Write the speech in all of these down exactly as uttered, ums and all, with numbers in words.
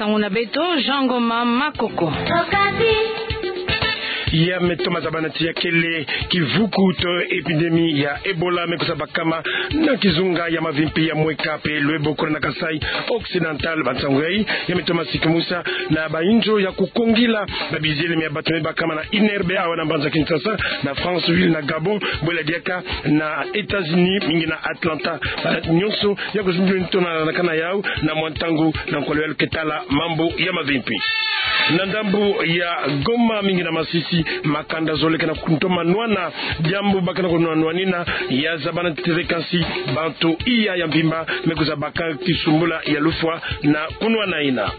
Ntangu na beto, Jean Ngoma Makoko. Ya me toma zabana ti ya kele kivuku to épidémie ya Ebola me kwiza bakama na kizunga ya mavimpi ya Mweka pe Luebo kuna na Kasaï Occidental. Bansangu yai ya me toma sikimusa na bainzo ya kukongila babiziele mia bato me bakama na I N R B awa na mbanza Kinshasa, na Franceville na Gabon, bwela diaka na États-Unis, mingi na Atlanta. Ba nyonso ya kuzindu nto na, na kana yau na mwa ntangu na nkolo ya ke tala mambu ya mavimpi. Na ndambu ya Goma, mingi na Masisi, makanda zole ke na kuntoma nwana, diambu ba ke na kunwanwanina ya zabana ntete kansi bantu iya ya mvimba me kwiza baka kisumbula ya lufwa na kunwanaina.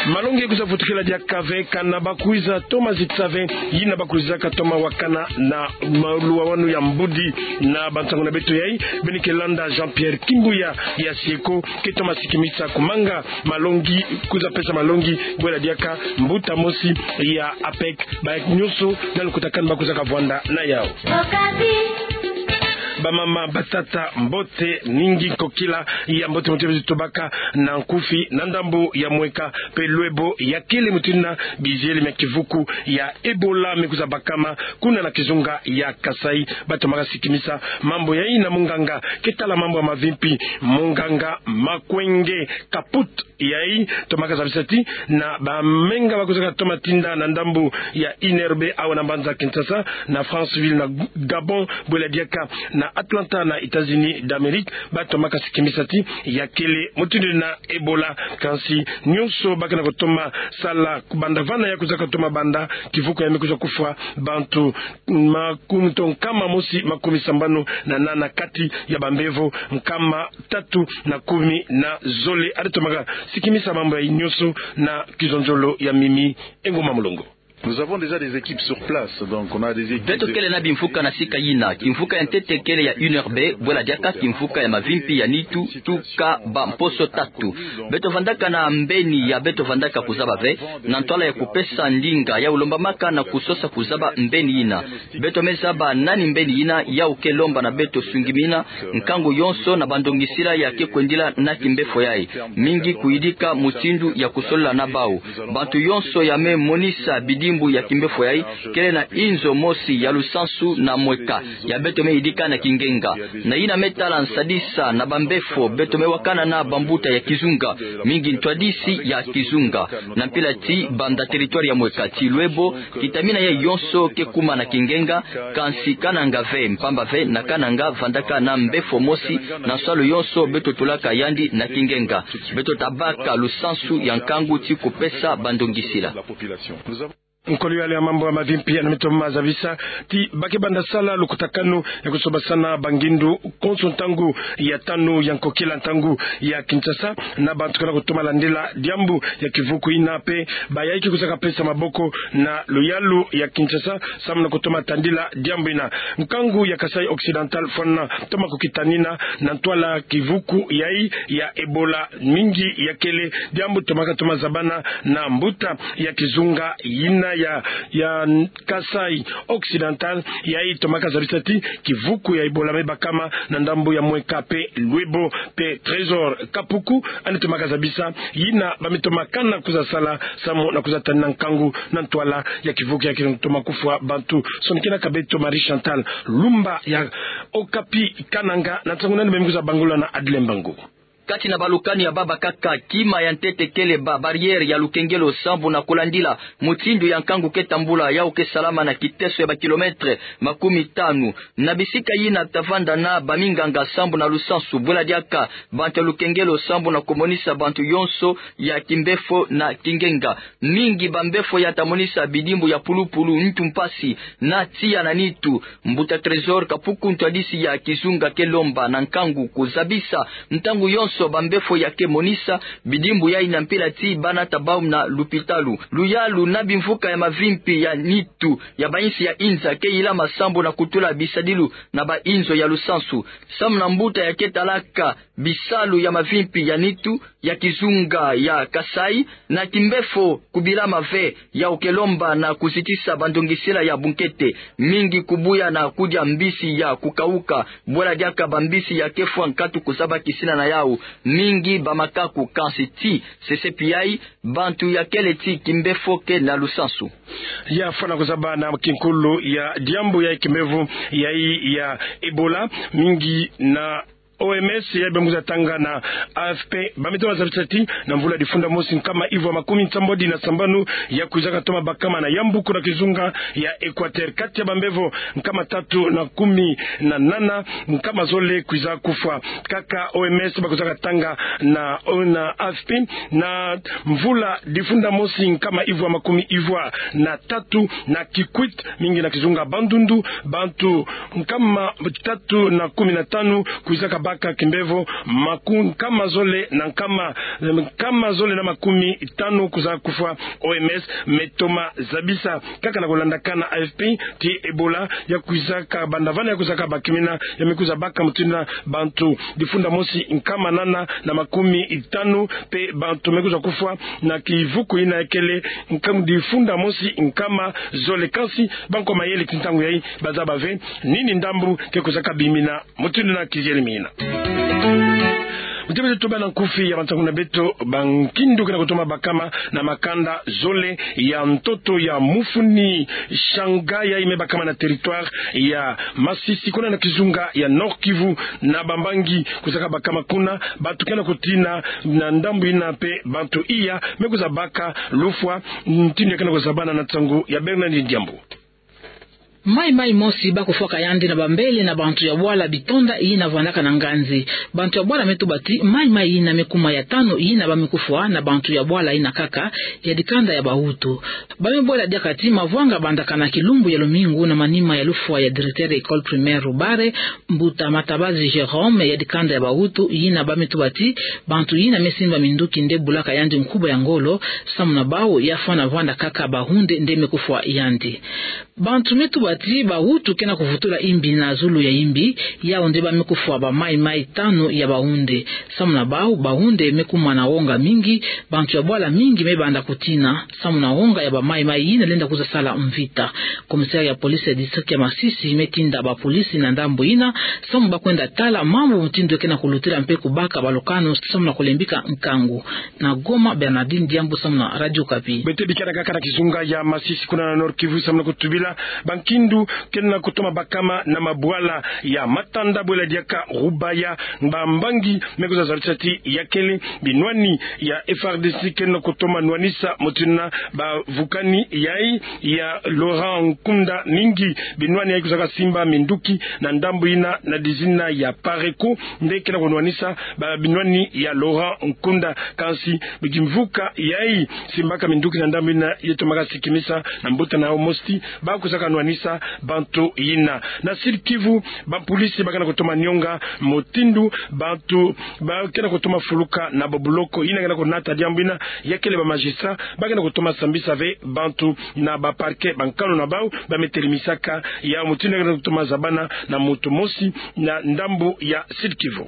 Malongi kwiza vutukila diaka ve kana ba kwiza toma zitsa ve yina ba kwizaka toma wakana na maluwawanu ya mbudi. Na bansangu na beto yai, beno ke landa Jean-Pierre Kimbuya ya Sieko ke toma sikimisa kumanga malongi, kwiza pesa malongi, bwela diaka mbuta mosi ya APEC, ba nyonso na lukutakanu ba kwizaka vwanda na yau. Bamama, batata, mbote, ningi, nkokila ya mbote mbote beto tobaka na nkufi na ndambu ya Mweka pe Luebo ya kele mutindu na biziele mia kivuku ya Ebola me kwiza bakama kuna na kizunga ya Kasaï. Ba tomaka sikimisa mambu yai na munganga ke tala mambu ya mavimpi, munganga Makwenge Kaput. Yai tomaka zabisa ti na bamenga ba kwizaka toma tinda na ndambu ya I N R B awa na mbanza Kinshasa, na Franceville na Gabon, bwela diaka na Atlanta na États-Unis d'Amérique, ba tomaka sikimisa ti ya kele mutindu na Ebola, kansi nyonso ba ke na kutoma sala kubanda vana ya kwizaka toma banda kivuku ya me kwiza kufwa bantu makumi to nkama mosi makumi sambanu na nana kati ya bambevo nkama tatu na kumi na zole. Ari tomaka sikimisa mambu yai nyonso na kizonzolo ya Mimi Ngoma Mulongo. Nous avons déjà des équipes sur place, donc on a des équipes. Beto kele na bimvuka na sika yina. Kimvuka ya ntete kele ya I N R B, bwela diaka kimvuka ya mavimpi ya nitu tuka bamposo tatu. Beto vandaka na mbeni ya beto vandaka kuzaba ve, na ntwala ya kupesa ndinga ya ulombamaka na kusosa kuzaba mbeni yina. Beto me zaba nani mbeni yina yau ke lomba na beto sungimina nkangu yonso na bandongisila ya ke kwendila na kimbefo yai, mingi kuyidika mutindu ya kusolola na bau. Bantu yonso ya me monisa bidimbu ya kimbefo yai kele na inzo mosi ya lusansu na Mweka ya beto me yidika na kingenga. Na yina me tala nsadisa na bambefo beto me wakana na bambuta ya kizunga, mingi ntwadisi ya kizunga. Na mpila ti banda territoire ya Mweka ti Luebo, kitamina ya yonso ke kuma na kingenga, kansi Kananga ve, mpamba ve na Kananga vandaka na mbefo mosi na nsalu yonso beto tulaka yandi na kingenga. Beto ta baka lusansu ya nkangu ti kupesa bandongisila. Nkolo yale ya mambu ya mavimpi ya na mito mazabisa ti ba ke banda sala lukutakanu ya kusobasana bangindu konso ntangu ya tanu ya nkokila ntangu ya Kinshasa, na bantu ke na kutoma landila diambu ya kivuku yina pe bayayi ke kwizaka pesa maboko na luyalu ya Kinshasa samu na kutoma tandila diambu yina. Nkangu ya Kasaï Occidental fwana toma kukitanina na ntwala kivuku yai ya Ebola, mingi ya kele diambu tomaka toma zabana na mbuta ya kizunga yina ya, ya Kasaï Occidental, yai tomaka zabisa ti kivuku ya Ebola me bakama na ndambu ya Mweka pe Luebo. Pe Trésor Kapuku, yandi tomaka zabisa yina ba me toma kana kwiza sala samu na kwiza tanina nkangu na ntwala ya kivuku ya ke toma kufwa bantu. Sonikena kaka beto Marie Chantal Lumba ya Okapi Kananga na nsangu nani ba me kwiza bangula na Adlin Mbangu. Kati na balukani ya baba kaka, kima ya ntete kele ba barrière ya lukengelo sambu na kulandila mutindu ya nkangu ke tambula, yau ke salama na kiteso ya ba kilomètre makumi tanu. Na bisika yina ta vanda na baminganga sambu na lusansu, bwela diaka bantu ya lukengelo sambu na kumonisa bantu yonso ya kimbefo na kingenga. Mingi bambefo ya ta monisa bidimbu ya pulupulu, ntu mpasi na tiya na nitu. Mbuta Trésor Kapuku, ntwadisi ya kizunga, ke lomba na nkangu kuzabisa ntangu yonso bambefo ya ke monisa bidimbu yai na mpila ti ba nata bau na lupitalu. Luyalu na bimvuka ya mavimpi ya nitu ya ba insi ya inza ke yilama sambu na kutula bisadilu na ba inzo ya lusansu. Samu na mbuta ya ke talaka bisalu ya mavimpi ya nitu, ya kizunga ya Kasaï, na kimbefo kubilama ve ya ukelomba na kuzitisa bandongisila ya bunkete, mingi kubuya na kudia mbisi ya kukauka, bwela diaka bambisi ya kefwa nkatu kuzaba kisina na yau, mingi bamakaku. Kansi ti sese piai, bantu ya kele ti kimbefo ke na lusansu. Ya fwana kuzaba na kinkulu ya diambu ya kimbefo ya, ya Ebola, mingi na O M S ya bembuza tanga na A F P, bamito bazabisa ti na mvula difunda mosi nkama ivwa makumi nsambwadi na sambanu ya kwizaka toma bakama na yambu kuna kizunga ya Équateur, kati ya bambevo nkama tatu na kumi na nana, nkama zole kwiza kufwa. Kaka O M S bakwizaka tanga na, na A F P, na mvula difunda mosi nkama ivwa makumi ivwa na tatu na Kikwit, mingi na kizunga Bandundu, bantu nkama tatu na kumi na tanu kwizaka baka kimbevo, maku nkama zole na nkama, nkama zole na makumi tanu kwiza kufwa. O M S me toma zabisa kaka na kulandakana A F P ti Ebola ya kwizaka banda vana ya kwizaka bakimina, ya me kwiza baka mutindu na bantu difunda mosi nkama nana na makumi tanu, mpe bantu me kwiza kufwa na kivuku ina ya kele nkama difunda mosi nkama zole. Kansi bankwa mayele ti ntangu yai bazaba ve nini ndambu ke kwizaka bimina mutindu na kizieri mina. Mutindu beto tubana nkufi ya bansangu na beto, bankindu ke na kutoma bakama na makanda zole ya ntoto ya mufuni Shanga, yai me bakama na territoire ya Masisi, kuna na kizunga ya Nord-Kivu, na bambangi kwizaka bakama kuna, bantu ke na kutina na ndambu ina mpe bantu iya me kwiza baka lufwa. Mutindu ya ke na kuzabana na nsangu ya Bernard Diambu. Maimai mosi bakufwaka yandi na bambele na bantu ya bwala Bitonda yina vandaka na Nganzi. Bantu ya bwala me tuba ti maimai yina me kuma ya tanu yina ba me kufwa na bantu ya bwala yina kaka, ya dikanda ya Bahutu. Ba me bwela diaka ti mavwanga bandaka na kilumbu ya lumingu na manima ya lufwa ya directeur ya école primaire Rubare, Mbuta Matabazi Jérôme, ya dikanda ya Bahutu, yina ba me tuba ti bantu yina me simba minduki nde bulaka yandi nkuba ya ngolo, samu na bau ya fwana vanda kaka bahunde nde me kufwa yandi. Bantu me tuba ti Bahutu ke na kuvutula imbi na zulu ya imbi, yau nde ba me kufwa bamaimai tanu ya bahunde. Samu na bau, bahunde me kuma na wonga mingi, bantu ya bwala mingi me banda kutina samu na wonga ya bamaimai yina lenda kwiza sala mvita. Commissaire ya police ya district ya Masisi me tinda bapolisi na ndambu yina, samu ba kwenda tala mambu mutindu ke na kulutila mpe kubaka balukanu samu na kulembika nkangu. Na Goma, Bernardine Diambu samu na Radio Okapi. Beto bikana kaka na kizunga ya Masisi kuna na Nord-Kivu samu na kutubila bankindu ke na kutoma bakama na mabwala ya Matanda, bwela diaka Rubaya, bambangi me kwiza zabisa ti ya kele binwani ya F A R D C ke na kutoma nwanisa mutindu na bavukani yai ya Laurent Nkunda, mingi binwani yai kwizaka simba minduki na ndambu yina na dizina ya Pareco, nde ke na kunwanisa ba binwani ya Laurent Nkunda. Kansi bikimvuka yai simbaka minduki na ndambu yina ye tomaka sikimisa na mbuta na yau mosi ti ba kwizaka nwanisa bantu yina. Na Sud-Kivu, bapolisi ba ke na kutoma nionga mutindu bantu ba ke na kutoma fuluka na babuloko yina ke na kunata diambu yina, ya kele bamagistrat ba ke na kutoma sambisa ve bantu na baparquet bankanu na bau ba me telimisaka yau. Mutindu ke na kutoma zabana na muntu mosi na ndambu ya Sud-Kivu.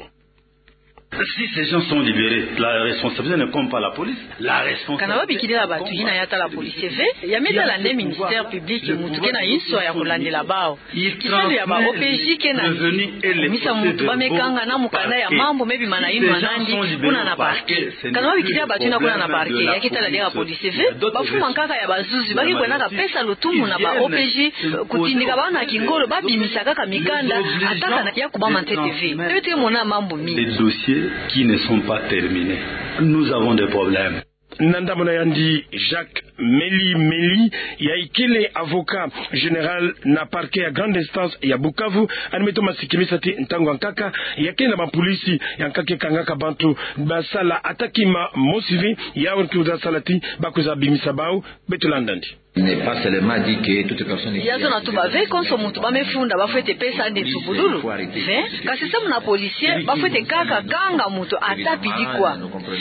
Si ces gens sont libérés, la responsabilité ne incombe pas la police. La responsabilité... Kana babikila bantu yina ya tala police ve, ya me tala nde ministère public, muntu ke na inswa ya kulandila bau. Kisalu ya ba O P J ke nani? Kumisa muntu ba me kanga na mukanda ya mambu me bima na inwa nandi kuna na parquet. Kana babikila bantu yina kuna na parquet, ya ke tala diaka police ve, bafuma nkaka ya bazuzi ba ke kwendaka pesa lutumu na ba O P J, kutindika bau na kingolo ba bimisa kaka mikanda, ata kana ya kubama ntete ve. Beto ke mona mambu mingi. Des dossiers qui ne sont pas terminés. Nous avons des problèmes. Na ndambu na yandi, Jacques Meli Meli, yai kele avocat général na parquet ya grande instance ya Bukavu, yandi me toma sikimisa ti ntangu ya nkaka ya kele na bapolisi ya nkaka ke kangaka bantu ba sala ata kima mosi ve, yau ke kwiza sala ti ba kwiza bimisa bau. Beto landa yandi. Il n'est pas seulement dit que toute personne... Ya zona tuba ve konso muntu ba me funda ba fwete pesa nde nsubululu ve, kasi samu na policier ba fwete kaka kanga muntu ata pidi kwa.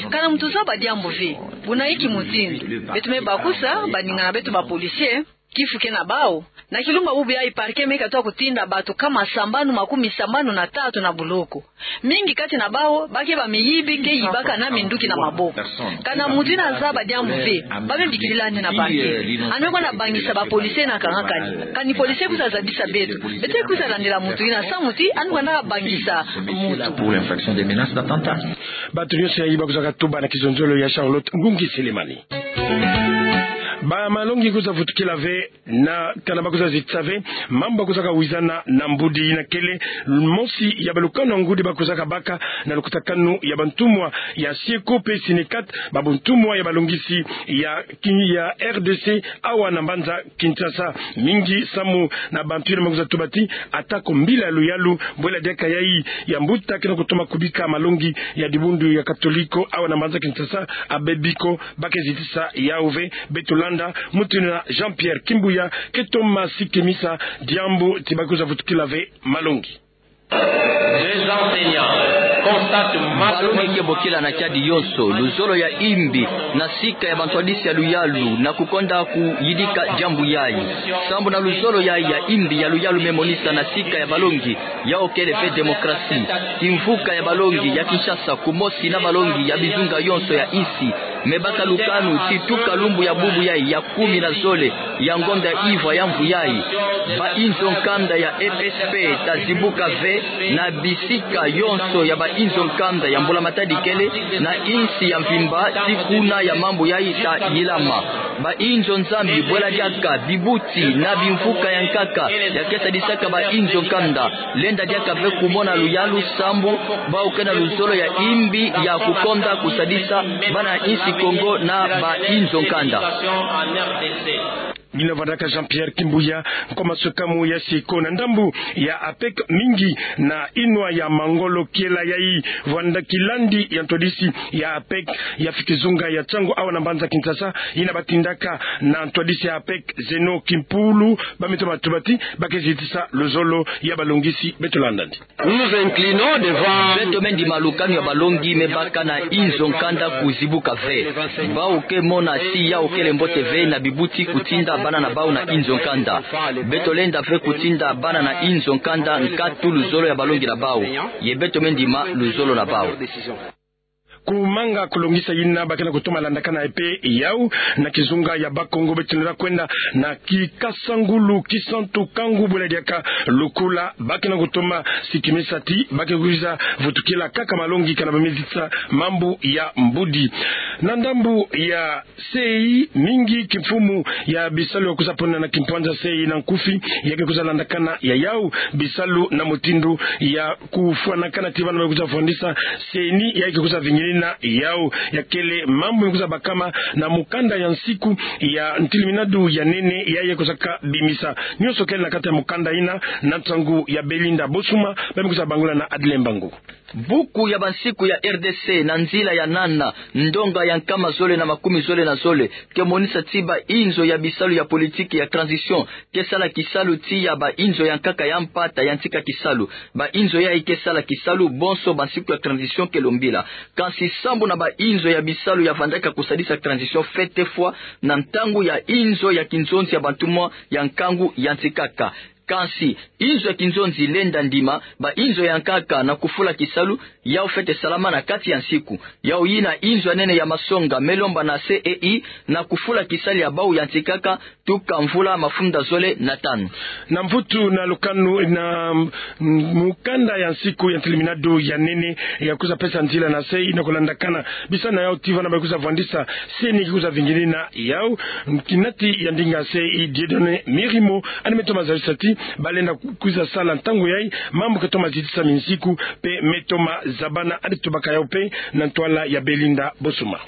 Kana muntu zaba diambu ve. Buna inki mutindu? Beto me bakusa baningana beto ba policier kifu ke na bau. Na kilumbu bubu yayi parquet me katwa kutinda bato kama sambanu makumi sambanu na tatu na boloko. Mingi kati na bau, ba ke bamiyibi ke yibaka na minduki na maboko. Ka na mutu ina zaba diambu ve, ba me bikilila andi na parquet. Andi me kwenda bangisa ba policier na kangakani. Kani policier kwiza zabisa beto, beto kwiza landila mutu ina samu ti andi kwenda bangisa mutu. Bato nyonso yayi ba kwizaka tuba na kizonzolo ya Charlotte Ngungi Selemani. Ba malongi kwiza vutukila ve, na kana ba kwiza zitisa ve mambu ba kwizaka wizana na mbudi ina kele mosi ya balukanu ya ngudi ba kwizaka baka na lukutakanu ya bantumwa ya Syeko pe Synecat, ba buntumwa ya balongisi ya Kin-, ya R D C awa na mbanza Kinshasa. Mingi samu na bantu ina ba kwiza tuba ti, atako mbila ya luyalu bwela diaka yayi ya mbuta ke na kutoma kubika malongi ya dibundu ya Katoliko awa na mbanza Kinshasa, abebi ko ba ke zitisa yau ve. Beto landa mutindu na Jean-Pierre Kimbuya ke toma sikimisa diambu ti ba kwiza vutukila ve malongi. Balongi ke bokila na tiadi yonso luzolo ya imbi na sika ya bantwadisi ya luyalu na kukonda kuyidika diambu yayi. Sambu na luzolo yayi ya imbi ya luyalu me monisa na sika ya balongi, yau kele ve démocratie. Kimvuka ya balongi ya Kinshasa kumosi na balongi ya bizunga yonso ya insi me baka lukanu ti tuka lumbu ya bubu yayi ya kumi na zole ya ngonda ivwa ya mvu yayi, ba inzo nkanda ya F S P ta zibuka ve na bisika yonso ya ba inzo nkanda ya mbula matadi kele na insi ya mvimba ti kuna ya mambu yayi ta yilama. Ba inzo nzambi bwela diaka bibuti na bimvuka ya nkaka ya ke sadisaka ba inzo nkanda, lenda diaka ve kumona luyalu sambu bau ke na luzolo ya imbi ya kukonda kusadisa bana insi Kongo na ba inzo nkanda. Ngina vandaka Jean-Pierre Kimbuya, nkwa maswekamu ya Syeko na ndambu ya APEC mingi na inwa ya mangolo kiela yayi vwanda kilandi ya ntwadisi ya APEC ya fikizunga ya Tshangu awa na mbanza Kinshasa, ina batindaka na ntwadisi ya APEC Zeno Kimpulu, ba me toma tuba ti ba ke zitisa luzolo ya balongisi. Beto landa andi. Beto me ndima lukanu ya balongi me baka na inzo nkanda kuzibuka ve. Bau ke mona ti yau kele mbote ve na bibuti kutinda bana na bau na inzo nkanda. Beto lenda ve kutinda bana na inzo nkanda nkatu luzolo ya balongi na bau. Ye beto me ndima luzolo na bau. Kumanga kulongisa ina ba ke na kutoma landakana pe yau na kizunga ya Bakongo, beto lenda kwenda na Kikasangulu, Kisantu, Kangu bwela diaka Lukula, ba ke na kutoma sikimisa ti ba ke kwiza vutukila kaka malongi kana ba me zitisa mambu ya mbudi. Na ndambu ya sei, mingi kimfumu ya bisalu ya kwiza pona na kimpwanza sei na nkufi ya ke kwiza landakana ya yau bisalu na mutindu ya kufwanakana ti bana ba kwiza fwandisa CENI ya ke kwiza vinginina yau ya kele mambu me kwiza bakama na mukanda ya nsiku ya ntiliminadu ya nene ya ye kwizaka bimisa. Nyonso kele na kati ya mukanda ina na nsangu ya Belinda Bosuma, ba me kwiza bangula na Adlin Mbangu. Buku ya bansiku ya R D C na nzila ya nana, ndonga ya nkama zole na makumi zole na zole, ke monisa ti ba inzo ya bisalu ya politiki ya transition ke sala kisalu tiya ba inzo ya nkaka ya mpata yantika kisalu. Ba inzo yayi ke sala kisalu bonso bansiku ya transition ke lombila. Kansi sambu na ba inzo ya bisalu ya vandaka kusadisa transition fete fwa na ntangu ya inzo ya kinzonzi ya bantumwa ya nkangu yantikaka. Kansi inzo ya kinzonzi lenda ndima ba inzo ya nkaka na kufula kisalu, yau fete salama na kati ya nsiku. Yau yina inzo ya nene ya masonga me lomba na CEI na kufula kisalu ya bau yantikaka tuka mvula mafunda zole na tanu. Na mvutu na lukanu na, mm, mukanda ya nsiku ya ntiliminadu ya nene ya kwiza pesa nzila na CEI na kulandakana bisalu na yau ti bana ba kwiza fwandisa CENI ke kwiza vinginina yau. Kinati ya ndinga CEI Dieudonné Mirimo, yandi me toma zalisa ti ba lenda kwiza sala ntangu yayi mambu ke toma zitisa minsiku pe me toma zabana. Yandi tubaka yau pe na ntwala ya Belinda Bosuma.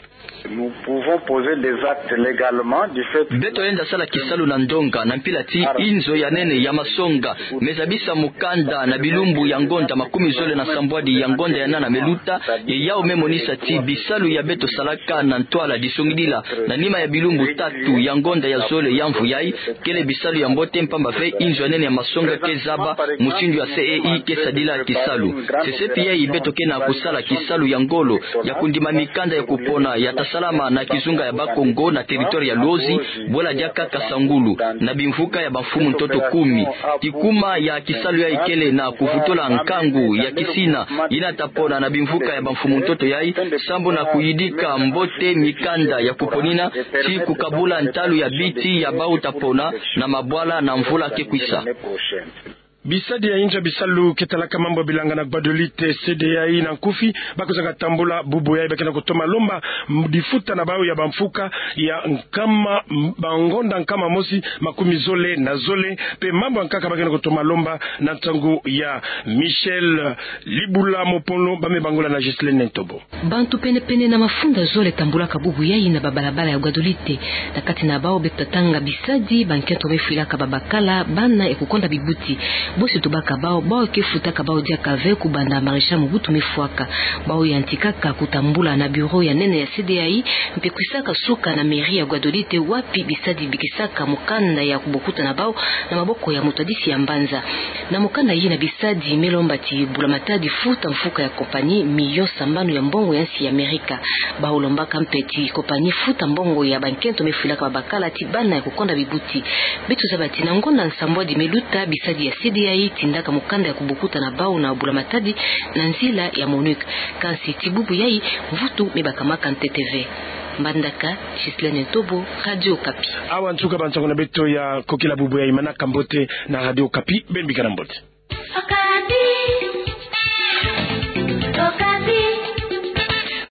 Nous pouvons poser des actes légalement du fait que... Beto lenda sala kisalu na ndonga na mpila ti inzo ya nene ya masonga me zabisa mukanda na bilumbu ya ngonda makumi zole na sambwadi ya ngonda ya nana me luta, ye yau me monisa ti bisalu ya beto salaka na ntwala disongidila na nima ya bilumbu tatu ya ngonda ya zole ya mvu yayi kele bisalu ya mbote, mpamba ve inzo ya ya masonga ke zaba mutindu ya C E I ke sadila kisalu. Sesepi yai beto ke na kusala kisalu ya ngolo ya kundima mikanda ya kupona ya ta salama na kizunga ya Bakongo na territoire ya Luozi, bwela diaka Kasangulu, na bimvuka ya bamfumu ntoto kumi. Kikuma ya kisalu yai kele na kuvutula nkangu ya kisina yina ta pona na bimvuka ya bamfumu ntoto yai, sambu na kuyidika mbote mikanda ya kuponina, ti kukabula ntalu ya biti ya bau ta pona na mabwala na mvula ke kwisa. Bisadi ya inzo ya bisalu ke talaka mambu ya bilanga na Gbadolite, C D A I na nkufi, ba kwizaka tambula bubu yai. Ba ke na kutoma lomba m-, difuta na bau ya bamfuka ya nkama, m-, bangonda nkama mosi makumi zole na zole, mpe mambu ya nkaka ba ke na kutoma lomba na ntangu ya Michel Libula Mopolo, ba me bangula na Ghislaine Ntobo. Bantu pene-pene na mafunda zole tambulaka bubu yai na babalabala ya Gbadolite. Na kati na bau beto ta tanga bisadi bankento me fwilaka babakala, bana ya kukonda bibuti. Bosi tubaka bau, bau ke futaka bau diaka ve kubanda Maréchal Mobutu me fwaka. Bau yantikaka kutambula na bureau ya nene ya C D A I, mpe kwisaka suka na mairie ya Gbadolite, wapi bisadi bikisaka mukanda ya kubokuta na bau na maboko ya mutwadisi ya mbanza. Na mukanda yina bisadi me lomba ti Bula Matadi futa mfuka ya compagnie million sambanu ya mbongo ya nsi ya Amerika. Bau lombaka mpe ti compagnie futa mbongo ya bankento me fwilaka babakala ti bana ya kukonda bibuti. Beto zaba ti na ngonda nsambwadi me luta, bisadi ya C D A I tindaka mukanda ya kubokuta na bau na Bula Matadi na nzila ya MONUC. Kansi ti bubu yai, mvutu me bakamaka ntete ve. Mbandaka, Ghislaine Ntobo, Radio Okapi. Awa nsuka ba nsangu na beto ya kokila bubu yai. Manaka mbote na Radio Okapi, beno bika na mbote.